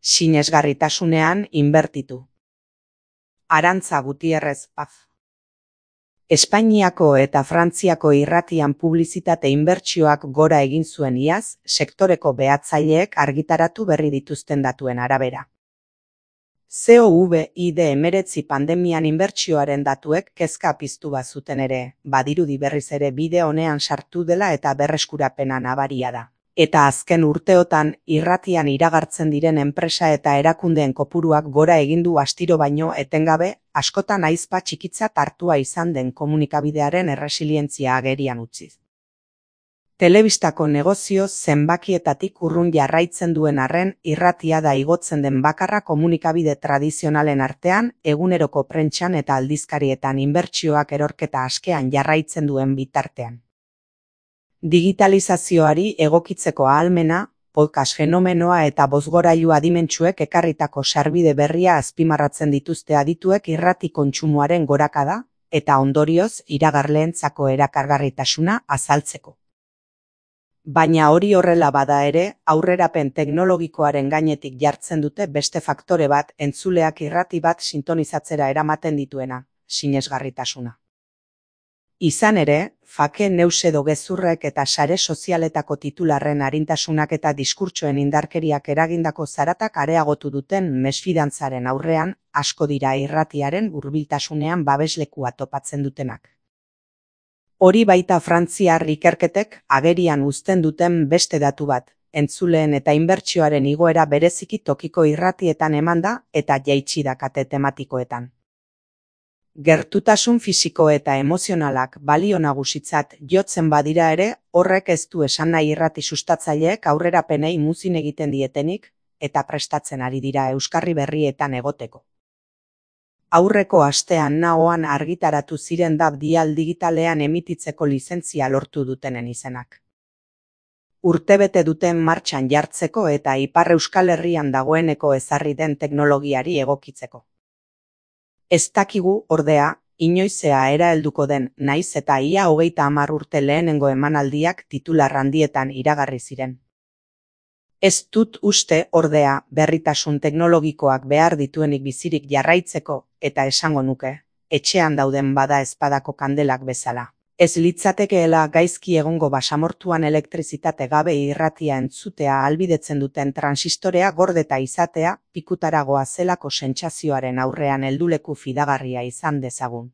Sinesgarritasunean inbertitu. Arantza Gutierrez Paz. Espainiako eta Frantziako irratian publizitate inbertsioak gora egin zuen iaz, sektoreko behatzaileek argitaratu berri dituzten datuen arabera. COVID-19 pandemian inbertsioaren datuek kezka piztu bazuten ere, badirudi berriz ere bide honean sartu dela eta berreskurapena nabaria da. Eta azken urteotan, irratian iragartzen diren enpresa eta erakundeen kopuruak gora egin du astiro baino etengabe, askotan aizpa txikitzat hartua izan den komunikabidearen erresilientzia agerian utziz. Telebistako negozio zenbakietatik urrun jarraitzen duen arren, irratia da igotzen den bakarra komunikabide tradizionalen artean, eguneroko prentsan eta aldizkarietan inbertsioak erorketa askean jarraitzen duen bitartean. Digitalizazioari egokitzeko ahalmena, podcast fenomenoa eta bozgorailu adimentsuek ekarritako sarbide berria azpimarratzen dituzte adituek irrati kontsumoaren gorakada, eta ondorioz iragarleentzako erakargarritasuna azaltzeko. Baina hori horrela bada ere, aurrerapen teknologikoaren gainetik jartzen dute beste faktore bat entzuleak irrati bat sintonizatzera eramaten dituena, sinesgarritasuna. Izan ere, fake news edo gezurrek eta sare sozialetako titularren arintasunak eta diskurtsoen indarkeriak eragindako zaratak areagotu duten mesfidantzaren aurrean, asko dira irratiaren hurbiltasunean babeslekua topatzen dutenak. Hori baita frantziar ikerketek agerian uzten duten beste datu bat, entzuleen eta inbertsioaren igoera bereziki tokiko irratietan emanda eta jaitsi da kate tematikoetan. Gertutasun fisiko eta emozionalak balio nagusitzat jotzen badira ere, horrek ez du esan nahi irrati sustatzaileek aurrerapenei muzin egiten dietenik, eta prestatzen ari dira euskarri berrietan egoteko. Aurreko astean nahoan argitaratu ziren DAB dial digitalean emititzeko lizentzia lortu dutenen izenak. Urtebete duten martxan jartzeko eta Ipar Euskal Herrian dagoeneko ezarri den teknologiari egokitzeko. Ez dakigu, ordea, inoizea era helduko den, naiz eta ia 30 urte lehenengo emanaldiak titular handietan iragarri ziren. Ez dut uste, ordea, berritasun teknologikoak behar dituenik bizirik jarraitzeko, eta esango nuke, etxean dauden bada ezpadako kandelak bezala. Ez litzatekeela gaizki egongo basamortuan elektrizitate gabe irratia entzutea ahalbidetzen duten transistorea gordeta izatea, pikutaragoa zelako sentsazioaren aurrean helduleku fidagarria izan dezagun.